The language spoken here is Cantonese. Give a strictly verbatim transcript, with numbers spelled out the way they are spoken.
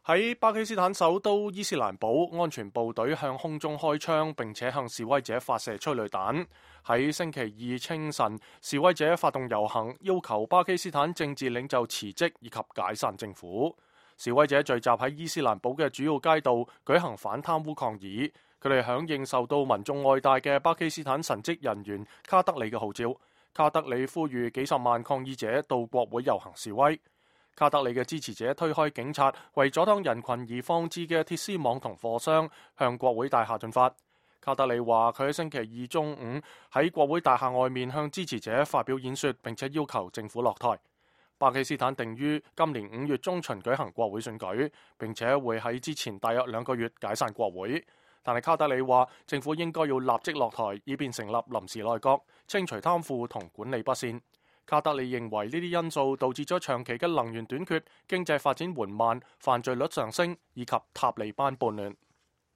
喺巴基斯坦首都伊斯蘭堡，安全部隊向空中開槍，並且向示威者發射催淚彈。喺星期二清晨，示威者發動遊行，要求巴基斯坦政治領袖辭職以及解散政府。示威者聚集喺伊斯蘭堡嘅主要街道，舉行反貪污抗議。佢哋響應受到民眾愛戴嘅巴基斯坦神職人員卡德里嘅號召。卡德里呼籲幾十萬抗議者到國會遊行示威。卡德里嘅支持者推開警察為阻擋人群而放置嘅鐵絲網同貨箱，向國會大廈進發。卡德里話佢喺星期二中午喺國會大廈外面向支持者發表演說，並且要求政府落台。巴基斯坦定於今年五月中旬舉行國會選舉，並且會喺之前大約兩個月解散國會。但係卡德里話政府應該要立即落台，以便成立臨時內閣，清除貪腐同管理不善。卡德里認為呢啲因素導致咗長期嘅能源短缺、經濟發展緩慢、犯罪率上升以及塔利班叛亂。